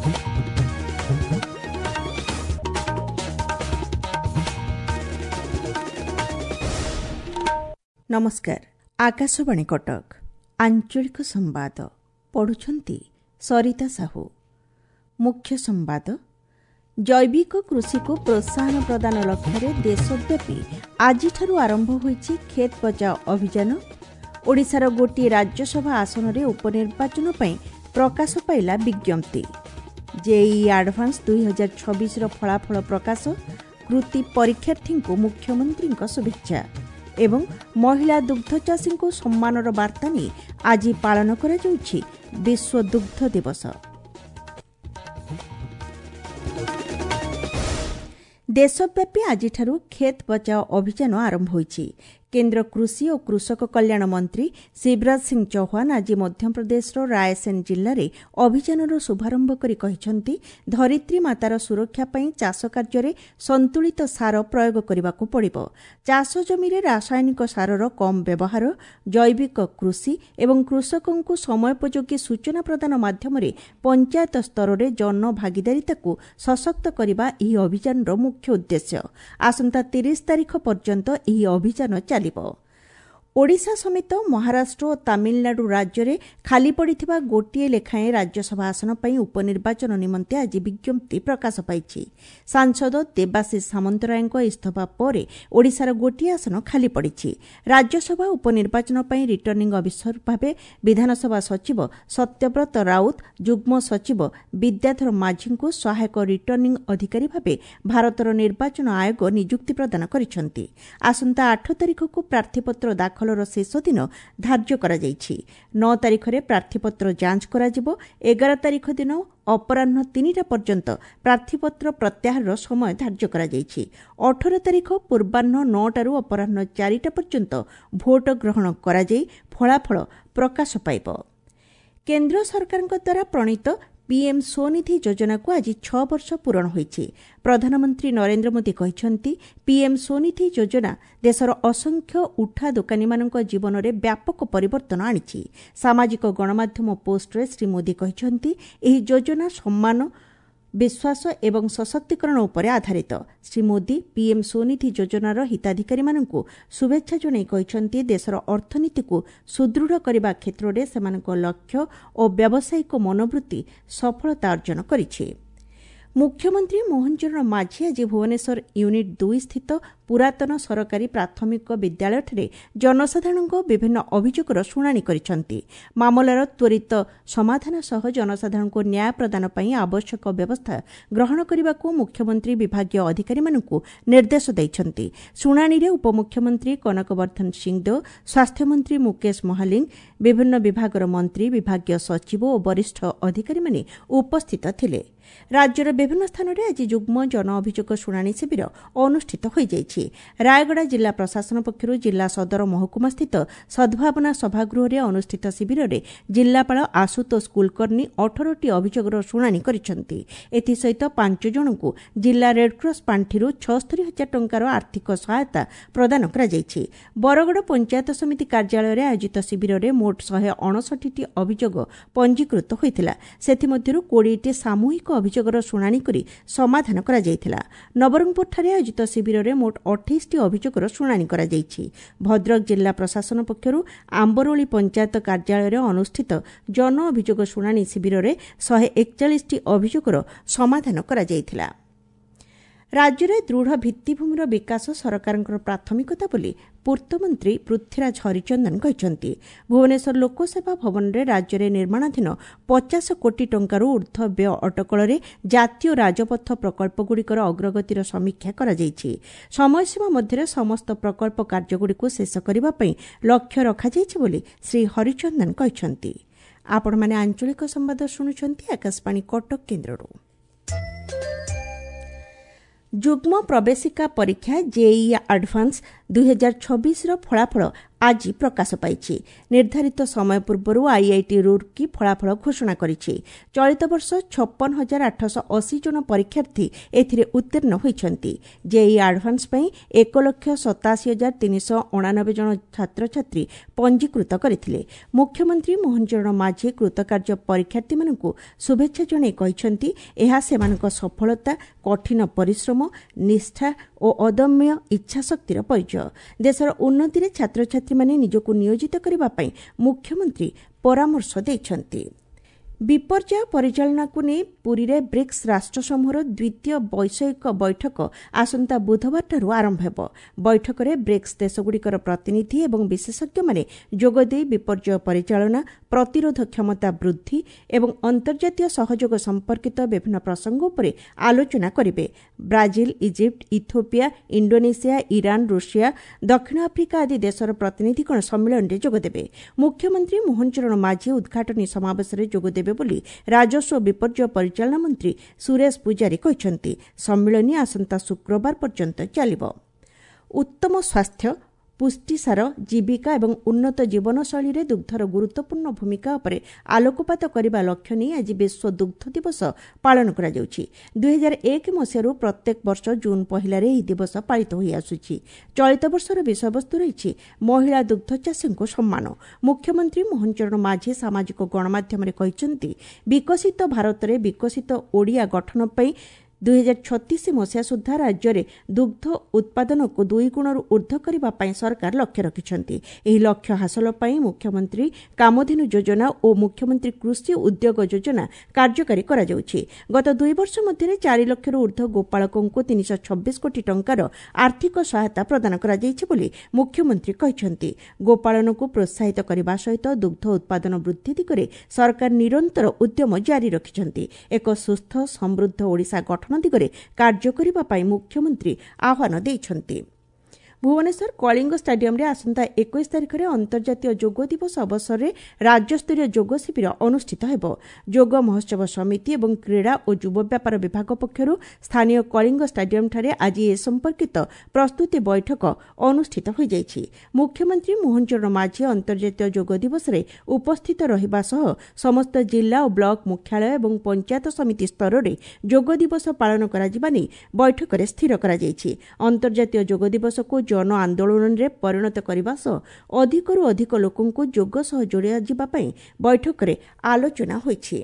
ନମସ୍କାର, ଆକାଶବାଣୀ କଟକ, ଆଞ୍ଚଳିକ ସମ୍ବାଦ ପଢ଼ୁଛନ୍ତି ସରିତା ସାହୁ। ମୁଖ୍ୟ ସମ୍ବାଦ। ଜୈବିକ କୃଷିକୁ ପ୍ରୋତ୍ସାହନ ପ୍ରଦାନ ଲକ୍ଷ୍ୟରେ ଦେଶବ୍ୟାପୀ ଆଜିଠାରୁ ଆରମ୍ଭ ହୋଇଛି କ୍ଷେତ ବଚାଓ ଅଭିଯାନ। ଓଡ଼ିଶାର ଗୋଟିଏ ରାଜ୍ୟସଭା ଆସନରେ ଉପନିର୍ବାଚନ ପାଇଁ ପ୍ରକାଶ ପାଇଲା ବିଜ୍ଞପ୍ତି। ଜେଇଇ ଆଡଭାନ୍ସ 2026ର ଫଳାଫଳ ପ୍ରକାଶ, କୃତି ପରୀକ୍ଷାର୍ଥୀଙ୍କୁ ମୁଖ୍ୟମନ୍ତ୍ରୀଙ୍କ ଶୁଭେଚ୍ଛା ଏବଂ ମହିଳା ଦୁଗ୍ଧ ଚାଷୀଙ୍କୁ ସମ୍ମାନର ବାର୍ତ୍ତା ନେଇ ଆଜି ପାଳନ କରାଯାଉଛି ବିଶ୍ୱ ଦୁଗ୍ଧ ଦିବସ। ଦେଶବ୍ୟାପୀ ଆଜିଠାରୁ କ୍ଷେତ ବଚାଓ ଅଭିଯାନ ଆରମ୍ଭ ହୋଇଛି। କେନ୍ଦ୍ର କୃଷି ଓ କୃଷକ କଲ୍ୟାଣ ମନ୍ତ୍ରୀ ଶିବରାଜ ସିଂ ଚୌହାନ ଆଜି ମଧ୍ୟପ୍ରଦେଶର ରାୟସେନ ଜିଲ୍ଲାରେ ଅଭିଯାନର ଶୁଭାରମ୍ଭ କରି କହିଛନ୍ତି, ଧରିତ୍ରୀ ମାତାର ସୁରକ୍ଷା ପାଇଁ ଚାଷ କାର୍ଯ୍ୟରେ ସନ୍ତୁଳିତ ସାର ପ୍ରୟୋଗ କରିବାକୁ ପଡ଼ିବ। ଚାଷ ଜମିରେ ରାସାୟନିକ ସାରର କମ୍ ବ୍ୟବହାର, ଜୈବିକ କୃଷି ଏବଂ କୃଷକଙ୍କୁ ସମୟୋପଯୋଗୀ ସୂଚନା ପ୍ରଦାନ ମାଧ୍ୟମରେ ପଞ୍ଚାୟତ ସ୍ତରରେ ଜନଭାଗିଦାରିତାକୁ ସଶକ୍ତ କରିବା ଏହି ଅଭିଯାନର ମୁଖ୍ୟ ଉଦ୍ଦେଶ୍ୟ। ଆସନ୍ତା 30 ତାରିଖ ପର୍ଯ୍ୟନ୍ତ ଏହି ଅଭିଯାନ ଚାଲିବ। ଓଡ଼ିଶା ସମେତ ମହାରାଷ୍ଟ୍ର ଓ ତାମିଲନାଡୁ ରାଜ୍ୟରେ ଖାଲି ପଡ଼ିଥିବା ଗୋଟିଏ ଲେଖାଏଁ ରାଜ୍ୟସଭା ଆସନ ପାଇଁ ଉପନିର୍ବାଚନ ନିମନ୍ତେ ଆଜି ବିଜ୍ଞପ୍ତି ପ୍ରକାଶ ପାଇଛି। ସାଂସଦ ଦେବାଶିଷ ସାମନ୍ତରାୟଙ୍କ ଇସ୍ତଫା ପରେ ଓଡ଼ିଶାର ଗୋଟିଏ ଆସନ ଖାଲି ପଡ଼ିଛି। ରାଜ୍ୟସଭା ଉପନିର୍ବାଚନ ପାଇଁ ରିଟର୍ଣ୍ଣିଂ ଅଫିସର ଭାବେ ବିଧାନସଭା ସଚିବ ସତ୍ୟବ୍ରତ ରାଉତ, ଯୁଗ୍ମ ସଚିବ ବିଦ୍ୟାଧର ମାଝୀଙ୍କୁ ସହାୟକ ରିଟର୍ଣ୍ଣିଂ ଅଧିକାରୀ ଭାବେ ଭାରତର ନିର୍ବାଚନ ଆୟୋଗ ନିଯୁକ୍ତି ପ୍ରଦାନ କରିଛନ୍ତି। ଆସନ୍ତା 8 ତାରିଖକୁ ପ୍ରାର୍ଥୀପତ୍ର ଦାଖଲର ଶେଷ ଦିନ ଧାର୍ଯ୍ୟ କରାଯାଇଛି। 9 ତାରିଖରେ ପ୍ରାର୍ଥୀପତ୍ର ଯାଞ୍ଚ କରାଯିବ। 11 ତାରିଖ ଦିନ ଅପରାହ୍ନ 3ଟା ପର୍ଯ୍ୟନ୍ତ ପ୍ରାର୍ଥୀପତ୍ର ପ୍ରତ୍ୟାହାରର ସମୟ ଧାର୍ଯ୍ୟ କରାଯାଇଛି। 18 ତାରିଖ ପୂର୍ବାହ୍ନ 9ଟାରୁ ଅପରାହ୍ନ 4ଟା ପର୍ଯ୍ୟନ୍ତ ଭୋଟ ଗ୍ରହଣ କରାଯାଇ ଫଳାଫଳ ପ୍ରକାଶ ପାଇବ। କେନ୍ଦ୍ର ସରକାରଙ୍କ ଦ୍ୱାରା ପ୍ରଣୀତ ପିଏମ୍ ସ୍ୱନିଧି ଯୋଜନାକୁ ଆଜି 6 ବର୍ଷ ପୂରଣ ହୋଇଛି। ପ୍ରଧାନମନ୍ତ୍ରୀ ନରେନ୍ଦ୍ର ମୋଦି କହିଛନ୍ତି, ପିଏମ୍ ସ୍ୱନିଧି ଯୋଜନା ଦେଶର ଅସଂଖ୍ୟ ଉଠା ଦୋକାନୀମାନଙ୍କ ଜୀବନରେ ବ୍ୟାପକ ପରିବର୍ତ୍ତନ ଆଣିଛି। ସାମାଜିକ ଗଣମାଧ୍ୟମ ପୋଷ୍ଟରେ ଶ୍ରୀ ମୋଦି କହିଛନ୍ତି, ଏହି ଯୋଜନା ସମ୍ମାନ, ବିଶ୍ୱାସ ଏବଂ ସଶକ୍ତିକରଣ ଉପରେ ଆଧାରିତ। ଶ୍ରୀ ମୋଦି ପିଏମ୍ ସ୍ୱନିଧି ଯୋଜନାର ହିତାଧିକାରୀମାନଙ୍କୁ ଶୁଭେଚ୍ଛା ଜଣାଇ କହିଛନ୍ତି, ଦେଶର ଅର୍ଥନୀତିକୁ ସୁଦୃଢ଼ କରିବା କ୍ଷେତ୍ରରେ ସେମାନଙ୍କ ଲକ୍ଷ୍ୟ ଓ ବ୍ୟାବସାୟିକ ମନୋବୃତ୍ତି ସଫଳତା ଅର୍ଜନ କରିଛି। ମୁଖ୍ୟମନ୍ତ୍ରୀ ମୋହନ ଚରଣ ମାଝୀ ଆଜି ଭୁବନେଶ୍ୱର ୟୁନିଟ୍ 2 ସ୍ଥିତ ପୁରାତନ ସରକାରୀ ପ୍ରାଥମିକ ବିଦ୍ୟାଳୟଠାରେ ଜନସାଧାରଣଙ୍କ ବିଭିନ୍ନ ଅଭିଯୋଗର ଶୁଣାଣି କରିଛନ୍ତି। ମାମଲାର ତ୍ୱରିତ ସମାଧାନ ସହ ଜନସାଧାରଣଙ୍କୁ ନ୍ୟାୟ ପ୍ରଦାନ ପାଇଁ ଆବଶ୍ୟକ ବ୍ୟବସ୍ଥା ଗ୍ରହଣ କରିବାକୁ ମୁଖ୍ୟମନ୍ତ୍ରୀ ବିଭାଗୀୟ ଅଧିକାରୀମାନଙ୍କୁ ନିର୍ଦ୍ଦେଶ ଦେଇଛନ୍ତି। ଶୁଣାଣିରେ ଉପମୁଖ୍ୟମନ୍ତ୍ରୀ କନକବର୍ଦ୍ଧନ ସିଂଦେଓ, ସ୍ୱାସ୍ଥ୍ୟମନ୍ତ୍ରୀ ମୁକେଶ ମହାଲିଙ୍ଗ, ବିଭିନ୍ନ ବିଭାଗର ମନ୍ତ୍ରୀ, ବିଭାଗୀୟ ସଚିବ ଓ ବରିଷ୍ଠ ଅଧିକାରୀମାନେ ଉପସ୍ଥିତ ଥିଲେ। ରାଜ୍ୟର ବିଭିନ୍ନ ସ୍ଥାନରେ ଆଜି ଯୁଗ୍ମ ଜନ ଅଭିଯୋଗ ଶୁଣାଣି ଶିବିର ଅନୁଷ୍ଠିତ ହୋଇଯାଇଛି। ରାୟଗଡ଼ା ଜିଲ୍ଲା ପ୍ରଶାସନ ପକ୍ଷରୁ ଜିଲ୍ଲା ସଦର ମହକୁମାସ୍ଥିତ ସଦ୍ଭାବନା ସଭାଗୃହରେ ଅନୁଷ୍ଠିତ ଶିବିରରେ ଜିଲ୍ଲାପାଳ ଆଶୁତୋଷ କୁଲକର୍ଣ୍ଣି 18ଟି ଅଭିଯୋଗର ଶୁଣାଣି କରିଛନ୍ତି। ଏଥିସହିତ 5 ଜଣଙ୍କୁ ଜିଲ୍ଲା ରେଡ୍କ୍ରସ୍ ପାଣ୍ଠିରୁ 76,000 ଟଙ୍କାର ଆର୍ଥିକ ସହାୟତା ପ୍ରଦାନ କରାଯାଇଛି। ବରଗଡ଼ ପଞ୍ଚାୟତ ସମିତି କାର୍ଯ୍ୟାଳୟରେ ଆୟୋଜିତ ଶିବିରରେ ମୋଟ 159ଟି ଅଭିଯୋଗ ପଞ୍ଜୀକୃତ ହୋଇଥିଲା। ସେଥିମଧ୍ୟରୁ 20ଟି ସାମୂହିକ ଅଭିଯୋଗର ଶୁଣାଣି କରି ସମାଧାନ କରାଯାଇଥିଲା। ନବରଙ୍ଗପୁରଠାରେ ଆୟୋଜିତ ଶିବିରରେ ମୋଟ 28ଟି ଅଭିଯୋଗର ଶୁଣାଣି କରାଯାଇଛି। ଭଦ୍ରକ ଜିଲ୍ଲା ପ୍ରଶାସନ ପକ୍ଷରୁ ଆମ୍ବରୋଳି ପଞ୍ଚାୟତ କାର୍ଯ୍ୟାଳୟରେ ଅନୁଷ୍ଠିତ ଜନ ଅଭିଯୋଗ ଶୁଣାଣି ଶିବିରରେ 141ଟି ଅଭିଯୋଗର ସମାଧାନ କରାଯାଇଥିଲା। ରାଜ୍ୟରେ ଦୃଢ଼ ଭିତ୍ତିଭୂମିର ବିକାଶ ସରକାରଙ୍କର ପ୍ରାଥମିକତା ବୋଲି ପୂର୍ତ୍ତମନ୍ତ୍ରୀ ପୃଥ୍ୱୀରାଜ ହରିଚନ୍ଦନ କହିଛନ୍ତି। ଭୁବନେଶ୍ୱର ଲୋକସେବା ଭବନରେ ରାଜ୍ୟରେ ନିର୍ମାଣାଧୀନ 50 କୋଟି ଟଙ୍କାରୁ ଊର୍ଦ୍ଧ୍ୱ ବ୍ୟୟ ଅଟକଳରେ ଜାତୀୟ ରାଜପଥ ପ୍ରକଳ୍ପଗୁଡ଼ିକର ଅଗ୍ରଗତିର ସମୀକ୍ଷା କରାଯାଇଛି। ସମୟସୀମା ମଧ୍ୟରେ ସମସ୍ତ ପ୍ରକଳ୍ପ କାର୍ଯ୍ୟଗୁଡ଼ିକୁ ଶେଷ କରିବା ପାଇଁ ଲକ୍ଷ୍ୟ ରଖାଯାଇଛି ବୋଲି ଶ୍ରୀ ହରିଚନ୍ଦନ କହିଛନ୍ତି। ଆପଣମାନେ ଆଞ୍ଚଳିକ ସମ୍ବାଦ ଶୁଣୁଛନ୍ତି ଆକାଶବାଣୀ କଟକ କେନ୍ଦ୍ରରୁ। ଯୁଗ୍ମ ପ୍ରବେଶିକା ପରୀକ୍ଷା ଜେଇଇ ଆଡଭାନ୍ସ 2026ର ଫଳାଫଳ ଆଜି ପ୍ରକାଶ ପାଇଛି। ନିର୍ଦ୍ଧାରିତ ସମୟ ପୂର୍ବରୁ ଆଇଆଇଟି ରୁର୍କି ଫଳାଫଳ ଘୋଷଣା କରିଛି। ଚଳିତ ବର୍ଷ 56,880 ଜଣ ପରୀକ୍ଷାର୍ଥୀ ଏଥିରେ ଉତ୍ତୀର୍ଣ୍ଣ ହୋଇଛନ୍ତି। ଜେଇଇ ଆଡଭାନ୍ସ ପାଇଁ 1,87,389 ଜଣ ଛାତ୍ରଛାତ୍ରୀ ପଞ୍ଜୀକୃତ କରିଥିଲେ। ମୁଖ୍ୟମନ୍ତ୍ରୀ ମୋହନ ଚରଣ ମାଝୀ କୃତକାର୍ଯ୍ୟ ପରୀକ୍ଷାର୍ଥୀମାନଙ୍କୁ ଶୁଭେଚ୍ଛା ଜଣାଇ କହିଛନ୍ତି, ଏହା ସେମାନଙ୍କ ସଫଳତା, କଠିନ ପରିଶ୍ରମ, ନିଷ୍ଠା ଓ ଅଦମ୍ୟ ଇଚ୍ଛାଶକ୍ତିର ପରିଚୟ। ଦେଶର ଉନ୍ନତିରେ ଛାତ୍ରଛାତ୍ରୀମାନେ ନିଜକୁ ନିୟୋଜିତ କରିବା ପାଇଁ ମୁଖ୍ୟମନ୍ତ୍ରୀ ପରାମର୍ଶ ଦେଇଛନ୍ତି। ବିପର୍ଯ୍ୟୟ ପରିଚାଳନାକୁ ନେଇ ପୁରୀରେ ବ୍ରିକ୍ସ ରାଷ୍ଟ୍ରସମୂହର ଦ୍ୱିତୀୟ ବୈଷୟିକ ବୈଠକ ଆସନ୍ତା ବୁଧବାରଠାରୁ ଆରମ୍ଭ ହେବ। ବୈଠକରେ ବ୍ରିକ୍ସ ଦେଶଗୁଡ଼ିକର ପ୍ରତିନିଧି ଏବଂ ବିଶେଷଜ୍ଞମାନେ ଯୋଗଦେଇ ବିପର୍ଯ୍ୟୟ ପରିଚାଳନା, ପ୍ରତିରୋଧ କ୍ଷମତା ବୃଦ୍ଧି ଏବଂ ଅନ୍ତର୍ଜାତୀୟ ସହଯୋଗ ସମ୍ପର୍କିତ ବିଭିନ୍ନ ପ୍ରସଙ୍ଗ ଉପରେ ଆଲୋଚନା କରିବେ। Brazil, Egypt, Ethiopia, Indonesia, Iran, Russia, ଦକ୍ଷିଣ ଆଫ୍ରିକା ଆଦି ଦେଶର ପ୍ରତିନିଧିଗଣ ସମ୍ମିଳନୀରେ ଯୋଗଦେବେ। ମୁଖ୍ୟମନ୍ତ୍ରୀ ମୋହନ ଚରଣ ମାଝୀ ଉଦ୍ଘାଟନୀ ସମାବେଶରେ ଯୋଗଦେବେ ବୋଲି ରାଜସ୍ୱ ବିପର୍ଯ୍ୟୟ ପରିଚାଳନା ମନ୍ତ୍ରୀ ସୁରେଶ ପୂଜାରୀ କହିଛନ୍ତି। ସମ୍ମିଳନୀ ଆସନ୍ତା ଶୁକ୍ରବାର ପର୍ଯ୍ୟନ୍ତ ଚାଲିବ। ଉତ୍ତମ ସ୍ୱାସ୍ଥ୍ୟ, ପୁଷ୍ଟିସାର, ଜୀବିକା ଏବଂ ଉନ୍ନତ ଜୀବନଶୈଳୀରେ ଦୁଗ୍ଧର ଗୁରୁତ୍ୱପୂର୍ଣ୍ଣ ଭୂମିକା ଉପରେ ଆଲୋକପାତ କରିବା ଲକ୍ଷ୍ୟ ନେଇ ଆଜି ବିଶ୍ୱ ଦୁଗ୍ଧ ଦିବସ ପାଳନ କରାଯାଉଛି। 2001 ମସିହାରୁ ପ୍ରତ୍ୟେକ ବର୍ଷ ଜୁନ୍ 1ରେ ଏହି ଦିବସ ପାଳିତ ହୋଇଆସୁଛି। ଚଳିତ ବର୍ଷର ବିଷୟବସ୍ତୁ ରହିଛି ମହିଳା ଦୁଗ୍ଧ ଚାଷୀଙ୍କୁ ସମ୍ମାନ। ମୁଖ୍ୟମନ୍ତ୍ରୀ ମୋହନ ଚରଣ ମାଝୀ ସାମାଜିକ ଗଣମାଧ୍ୟମରେ କହିଛନ୍ତି, ବିକଶିତ ଭାରତରେ ବିକଶିତ ଓଡ଼ିଆ ଗଠନ ପାଇଁ 2036 ମସିହା ସୁଦ୍ଧା ରାଜ୍ୟରେ ଦୁଗ୍ଧ ଉତ୍ପାଦନକୁ 2 ଗୁଣରୁ ଉର୍ଦ୍ଧ୍ୱ କରିବା ପାଇଁ ସରକାର ଲକ୍ଷ୍ୟ ରଖିଛନ୍ତି। ଏହି ଲକ୍ଷ୍ୟ ହାସଲ ପାଇଁ ମୁଖ୍ୟମନ୍ତ୍ରୀ କାମଧେନୁ ଯୋଜନା ଓ ମୁଖ୍ୟମନ୍ତ୍ରୀ କୃଷି ଉଦ୍ୟୋଗ ଯୋଜନା କାର୍ଯ୍ୟକାରୀ କରାଯାଉଛି। ଗତ 2 ବର୍ଷ ମଧ୍ୟରେ 4 ଲକ୍ଷରୁ ଉର୍ଦ୍ଧ୍ୱ ଗୋପାଳକଙ୍କୁ 326 କୋଟି ଟଙ୍କାର ଆର୍ଥିକ ସହାୟତା ପ୍ରଦାନ କରାଯାଇଛି ବୋଲି ମୁଖ୍ୟମନ୍ତ୍ରୀ କହିଛନ୍ତି। ଗୋପାଳନକୁ ପ୍ରୋତ୍ସାହିତ କରିବା ସହିତ ଦୁଗ୍ଧ ଉତ୍ପାଦନ ବୃଦ୍ଧି ଦିଗରେ ସରକାର ନିରନ୍ତର ଉଦ୍ୟମ ଜାରି ରଖିଛନ୍ତି। ଏକ ସୁସ୍ଥ ସମୃଦ୍ଧ ଓଡ଼ିଶା ଗଠନ ଦିଗରେ କାର୍ଯ୍ୟ କରିବା ପାଇଁ ମୁଖ୍ୟମନ୍ତ୍ରୀ ଆହ୍ୱାନ ଦେଇଛନ୍ତି। ଭୁବନେଶ୍ୱର କଳିଙ୍ଗ ଷ୍ଟାଡିୟମରେ ଆସନ୍ତା 21 ତାରିଖରେ ଅନ୍ତର୍ଜାତୀୟ ଯୋଗ ଦିବସ ଅବସରରେ ରାଜ୍ୟସ୍ତରୀୟ ଯୋଗ ଶିବିର ଅନୁଷ୍ଠିତ ହେବ। ଯୋଗ ମହୋତ୍ସବ ସମିତି ଏବଂ କ୍ରୀଡ଼ା ଓ ଯୁବ ବ୍ୟାପାର ବିଭାଗ ପକ୍ଷରୁ ସ୍ଥାନୀୟ କଳିଙ୍ଗ ଷ୍ଟାଡିୟମଠାରେ ଆଜି ଏ ସମ୍ପର୍କିତ ପ୍ରସ୍ତୁତି ବୈଠକ ଅନୁଷ୍ଠିତ ହୋଇଯାଇଛି। ମୁଖ୍ୟମନ୍ତ୍ରୀ ମୋହନ ଚରଣ ମାଝୀ ଅନ୍ତର୍ଜାତୀୟ ଯୋଗ ଦିବସରେ ଉପସ୍ଥିତ ରହିବା ସହ ସମସ୍ତ ଜିଲ୍ଲା ଓ ବ୍ଲକ ମୁଖ୍ୟାଳୟ ଏବଂ ପଞ୍ଚାୟତ ସମିତି ସ୍ତରରେ ଯୋଗ ଦିବସ ପାଳନ କରାଯିବା ନେଇ ବୈଠକରେ ସ୍ଥିର କରାଯାଇଛି। ଅନ୍ତର୍ଜାତୀୟ ଯୋଗ ଦିବସକୁ ଜନ ଆନ୍ଦୋଳନରେ ପରିଣତ କରିବା ସହ ଅଧିକରୁ ଅଧିକ ଲୋକଙ୍କୁ ଯୋଗ ସହ ଯୋଡ଼ାଯିବା ପାଇଁ ବୈଠକରେ ଆଲୋଚନା ହୋଇଛି।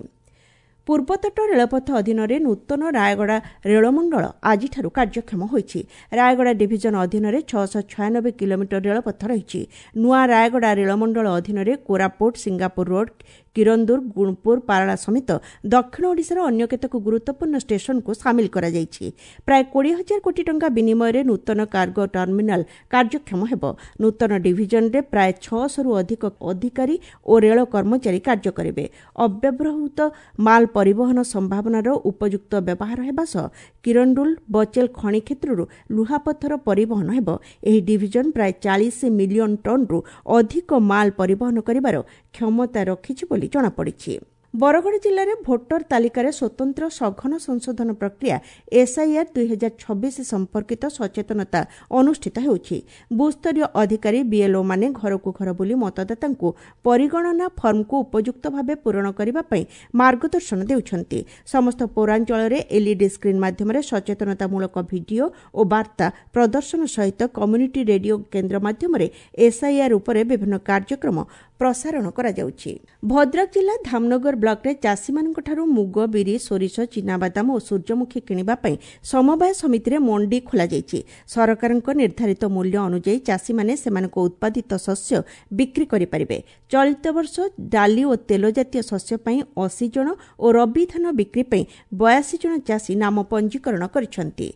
ପୂର୍ବତଟ ରେଳପଥ ଅଧୀନରେ ନୂତନ ରାୟଗଡ଼ା ରେଳମଣ୍ଡଳ ଆଜିଠାରୁ କାର୍ଯ୍ୟକ୍ଷମ ହୋଇଛି। ରାୟଗଡ଼ା ଡିଭିଜନ ଅଧୀନରେ 696 କିଲୋମିଟର ରେଳପଥ ରହିଛି। ନୂଆ ରାୟଗଡ଼ା ରେଳମଣ୍ଡଳ ଅଧୀନରେ କୋରାପୁଟ, ସିଙ୍ଗାପୁର ରୋଡ୍, କିରନ୍ଦୁର, ଗୁଣପୁର, ପାରଳା ସମେତ ଦକ୍ଷିଣ ଓଡ଼ିଶାର ଅନ୍ୟ କେତେକ ଗୁରୁତ୍ୱପୂର୍ଣ୍ଣ ଷ୍ଟେସନକୁ ସାମିଲ କରାଯାଇଛି। ପ୍ରାୟ 20,000 କୋଟି ଟଙ୍କା ବିନିମୟରେ ନୂତନ କାର୍ଗୋ ଟର୍ମିନାଲ କାର୍ଯ୍ୟକ୍ଷମ ହେବ। ନୂତନ ଡିଭିଜନରେ ପ୍ରାୟ 600ରୁ ଅଧିକ ଅଧିକାରୀ ଓ ରେଳ କର୍ମଚାରୀ କାର୍ଯ୍ୟ କରିବେ। ଅବ୍ୟବହୃତ ମାଲ ପରିବହନ ସମ୍ଭାବନାର ଉପଯୁକ୍ତ ବ୍ୟବହାର ହେବା ସହ କିରଣ୍ଡୁଲ, ବଚେଲ ଖଣି କ୍ଷେତ୍ରରୁ ଲୁହାପଥର ପରିବହନ ହେବ। ଏହି ଡିଭିଜନ ପ୍ରାୟ 40 ମିଲିୟନ ଟନ୍ରୁ ଅଧିକ ମାଲ ପରିବହନ କରିବାର କ୍ଷମତା ରଖିଛି ବୋଲି ଜଣାପଡ଼ିଛି। ବରଗଡ଼ ଜିଲ୍ଲାରେ ଭୋଟର ତାଲିକାରେ ସ୍ୱତନ୍ତ୍ର ସଘନ ସଂଶୋଧନ ପ୍ରକ୍ରିୟା ଏସ୍ଆଇଆର୍ 2026 ସମ୍ପର୍କିତ ସଚେତନତା ଅନୁଷ୍ଠିତ ହେଉଛି। ବୁଥ୍ସ୍ତରୀୟ ଅଧିକାରୀ ବିଏଲ୍ଓମାନେ ଘରକୁ ଘର ବୁଲି ମତଦାତାଙ୍କୁ ପରିଗଣନା ଫର୍ମକୁ ଉପଯୁକ୍ତ ଭାବେ ପୂରଣ କରିବା ପାଇଁ ମାର୍ଗଦର୍ଶନ ଦେଉଛନ୍ତି। ସମସ୍ତ ପୌରାଞ୍ଚଳରେ ଏଲ୍ଇଡି ସ୍କ୍ରିନ୍ ମାଧ୍ୟମରେ ସଚେତନତାମୂଳକ ଭିଡିଓ ଓ ବାର୍ତ୍ତା ପ୍ରଦର୍ଶନ ସହିତ କମ୍ୟୁନିଟି ରେଡିଓ କେନ୍ଦ୍ର ମାଧ୍ୟମରେ ଏସ୍ଆଇଆର୍ ଉପରେ ବିଭିନ୍ନ କାର୍ଯ୍ୟକ୍ରମ ପ୍ରସାରଣ କରାଯାଉଛି। ଭଦ୍ରକ ଜିଲ୍ଲା ଧାମନଗର ବ୍ଲକରେ ଚାଷୀମାନଙ୍କଠାରୁ ମୁଗ, ବିରି, ସୋରିଷ, ଚିନାବାଦାମ ଓ ସୂର୍ଯ୍ୟମୁଖୀ କିଣିବା ପାଇଁ ସମବାୟ ସମିତିରେ ମଣ୍ଡି ଖୋଲାଯାଇଛି। ସରକାରଙ୍କ ନିର୍ଦ୍ଧାରିତ ମୂଲ୍ୟ ଅନୁଯାୟୀ ଚାଷୀମାନେ ସେମାନଙ୍କ ଉତ୍ପାଦିତ ଶସ୍ୟ ବିକ୍ରି କରିପାରିବେ। ଚଳିତ ବର୍ଷ ଡାଲି ଓ ତେଲ ଜାତୀୟ ଶସ୍ୟ ପାଇଁ 80 ଜଣ ଓ ରବି ଧାନ ବିକ୍ରି ପାଇଁ 82 ଜଣ ଚାଷୀ ନାମ ପଞ୍ଜୀକରଣ କରିଛନ୍ତି।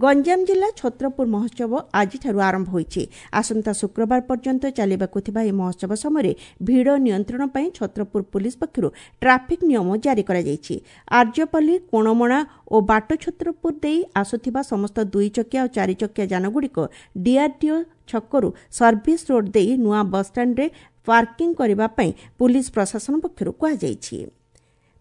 ଗଞ୍ଜାମ ଜିଲ୍ଲା ଛତ୍ରପୁର ମହୋତ୍ସବ ଆଜିଠାରୁ ଆରମ୍ଭ ହୋଇଛି। ଆସନ୍ତା ଶୁକ୍ରବାର ପର୍ଯ୍ୟନ୍ତ ଚାଲିବାକୁ ଥିବା ଏହି ମହୋତ୍ସବ ସମୟରେ ଭିଡ଼ ନିୟନ୍ତ୍ରଣ ପାଇଁ ଛତ୍ରପୁର ପୁଲିସ ପକ୍ଷରୁ ଟ୍ରାଫିକ୍ ନିୟମ ଜାରି କରାଯାଇଛି। ଆର୍ଯ୍ୟପଲ୍ଲୀ, କୋଣମଣା ଓ ବାଟଛତ୍ରପୁର ଦେଇ ଆସୁଥିବା ସମସ୍ତ 2 ଚକିଆ ଓ 4 ଚକିଆ ଯାନଗୁଡ଼ିକ ଡିଆର୍ଡିଓ ଛକରୁ ସର୍ଭିସ୍ ରୋଡ୍ ଦେଇ ନୂଆ ବସ୍ଷ୍ଟାଣ୍ଡରେ ପାର୍କିଂ କରିବା ପାଇଁ ପୁଲିସ ପ୍ରଶାସନ ପକ୍ଷରୁ କୁହାଯାଇଛି।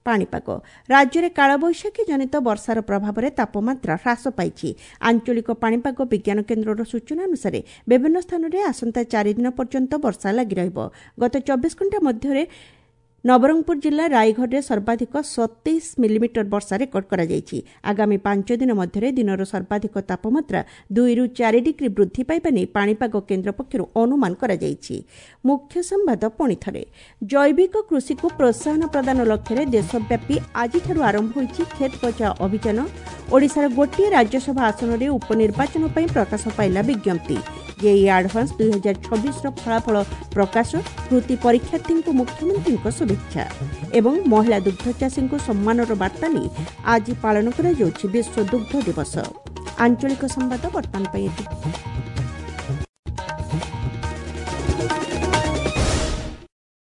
ପାଣିପାଗ। ରାଜ୍ୟରେ କାଳବୈଶାଖୀ ଜନିତ ବର୍ଷାର ପ୍ରଭାବରେ ତାପମାତ୍ରା ହ୍ରାସ ପାଇଛି। ଆଞ୍ଚଳିକ ପାଣିପାଗ ବିଜ୍ଞାନ କେନ୍ଦ୍ରର ସୂଚନା ଅନୁସାରେ ବିଭିନ୍ନ ସ୍ଥାନରେ ଆସନ୍ତା 4 ଦିନ ପର୍ଯ୍ୟନ୍ତ ବର୍ଷା ଲାଗି ରହିବ। ଗତ 24 ଘଣ୍ଟା ମଧ୍ୟରେ ନବରଙ୍ଗପୁର ଜିଲ୍ଲା ରାଇଘରରେ ସର୍ବାଧିକ 27 ମିଲିମିଟର ବର୍ଷା ରେକର୍ଡ କରାଯାଇଛି। ଆଗାମୀ 5 ଦିନ ମଧ୍ୟରେ ଦିନର ସର୍ବାଧିକ ତାପମାତ୍ରା 2ରୁ 4 ଡିଗ୍ରୀ ବୃଦ୍ଧି ପାଇବା ନେଇ ପାଣିପାଗ କେନ୍ଦ୍ର ପକ୍ଷରୁ ଅନୁମାନ କରାଯାଇଛି। ମୁଖ୍ୟ ସମ୍ବାଦ ପୁଣି ଥରେ। ଜୈବିକ କୃଷିକୁ ପ୍ରୋତ୍ସାହନ ପ୍ରଦାନ ଲକ୍ଷ୍ୟରେ ଦେଶବ୍ୟାପୀ ଆଜିଠାରୁ ଆରମ୍ଭ ହୋଇଛି କ୍ଷେତ ବଚାଓ ଅଭିଯାନ। ଓଡ଼ିଶାର ଗୋଟିଏ ରାଜ୍ୟସଭା ଆସନରେ ଉପନିର୍ବାଚନ ପାଇଁ ପ୍ରକାଶ ପାଇଲା ବିଜ୍ଞପ୍ତି। ଜେଇଇ ଆଡଭାନ୍ସ 2026ର ଫଳାଫଳ ପ୍ରକାଶ। କୃତି ପରୀକ୍ଷାର୍ଥୀଙ୍କୁ ମୁଖ୍ୟମନ୍ତ୍ରୀଙ୍କ ଶୁଭେଚ୍ଛା। ଏବଂ ମହିଳା ଦୁଗ୍ଧ ଚାଷୀଙ୍କୁ ସମ୍ମାନର ବାର୍ତ୍ତା ନେଇ ଆଜି ପାଳନ କରାଯାଉଛି ବିଶ୍ୱ ଦୁଗ୍ଧ ଦିବସ। ଆଞ୍ଚଳିକ ସମ୍ବାଦ ବର୍ତ୍ତମାନ ପାଇଁ ଏତିକି।